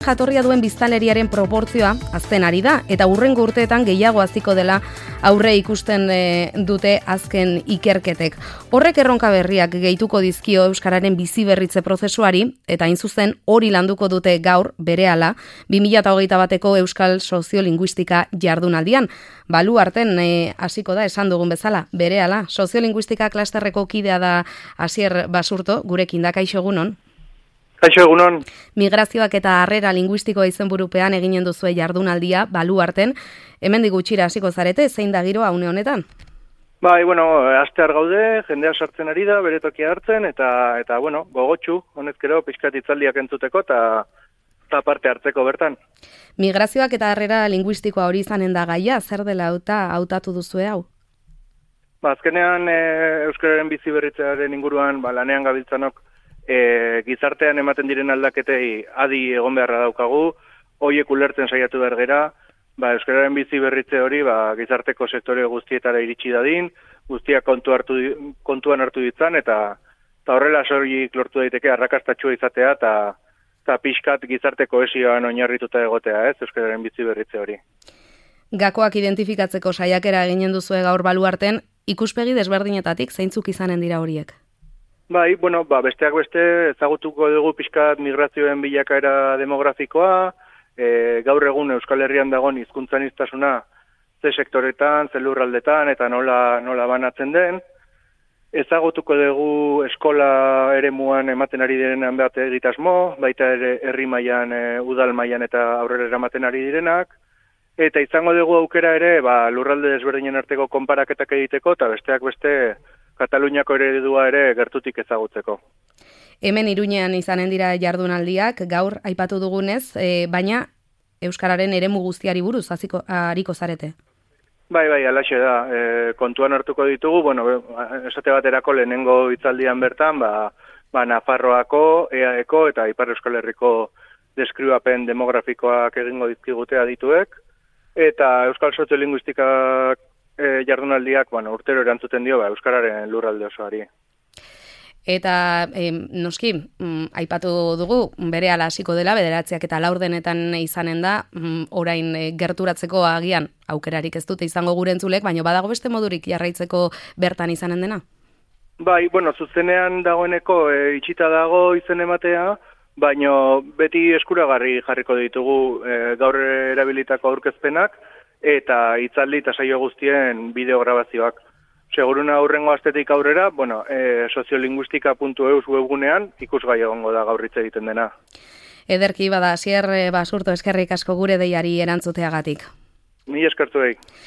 Jatorria duen biztanleriaren proportzioa hazten ari da eta hurrengo urteetan gehiago haziko dela aurre ikusten dute azken ikerketek. Horrek erronka berriak gehituko dizkio euskararen biziberritze prozesuari eta hain zuzen hori landuko dute gaur berehala 2021eko Euskal Soziolinguistika jardunaldian. Baluarten hasiko da esan dugun bezala berehala. Soziolinguistika klasterreko kidea da Asier Basurto, gurekin da. Kaixo, egunon. Kaixo, egunon. Migrazioak eta harrera linguistikoa izenburupean eginen duzue jardunaldia Baluarten. Hemendik gutxira hasiko zarete, zein da giroa une honetan? Bai, astear gaude, jendea sartzen ari da, bere tokia hartzen, eta gogotsu, honezkero, pixkat hitzaldiak entzuteko, eta parte hartzeko bertan. Migrazioak eta harrera linguistikoa hori izanen da gaia, zer dela hautatu duzue hau? Azkenean, euskararen biziberritzearen inguruan, lanean gabiltzanok, gizartean ematen diren aldaketei adi egon beharra daukagu, horiek ulertzen saiatu behar gera, euskararen bizi berritze hori gizarteko sektore guztietara iritsi dadin, guztiak kontuan hartu ditzan, eta horrela soilik lortu daiteke arrakastatsua izatea, eta pixkat gizarte kohesioan oinarrituta egotea, euskararen bizi berritze hori. Gakoak identifikatzeko saiakera eginen duzue gaur Baluarten, ikuspegi desberdinetatik zeintzuk izanen dira horiek? Bai, besteak beste ezagutuko dugu pixkat migrazioen bilakaera demografikoa, gaur egun Euskal Herrian dagoen hizkuntzaniztasuna ze sektoretan, ze lurraldetan eta nola banatzen den. Ezagutuko dugu eskola eremuan ematen ari direnean bat egitasmo, baita ere herri mailan, udal mailan eta aurrera eramaten ari direnak. Eta izango dugu aukera ere lurralde desberdinen arteko konparaketak egiteko eta besteak beste Kataluniako eredua ere gertutik ezagutzeko. Hemen Iruñean izanen dira jardunaldiak, gaur aipatu dugunez, baina euskararen eremu guztiari buruz ariko zarete. Bai, alaxe da. Kontuan hartuko ditugu, esate baterako lehenengo hitzaldian bertan, Nafarroako, EAEko eta Ipar Euskal Herriko deskribapen demografikoak egingo dizkigute adituek, eta Euskal Soziolinguistikak jardunaldiak urtero erantzuten dio euskararen lurralde osoari. Eta noski, aipatu dugu, berehala hasiko dela, 9 eta 4 izanen da, orain gerturatzeko agian aukerarik ez dute izango gure entzulek, baina badago beste modurik jarraitzeko bertan izanen dena? Bai, zuzenean dagoeneko itxita dago izen ematea, baina beti eskuragarri jarriko ditugu gaur erabilitako aurkezpenak, eta hitzaldi eta saio guztien bideograbazioak. Seguruna aurrengo astetik aurrera, soziolinguistika.eus webgunean ikusgai egongo da gaur hitz egiten dena. Ederki bada, Asier Basurto, eskerrik asko gure deiari erantzuteagatik. Ni eskertu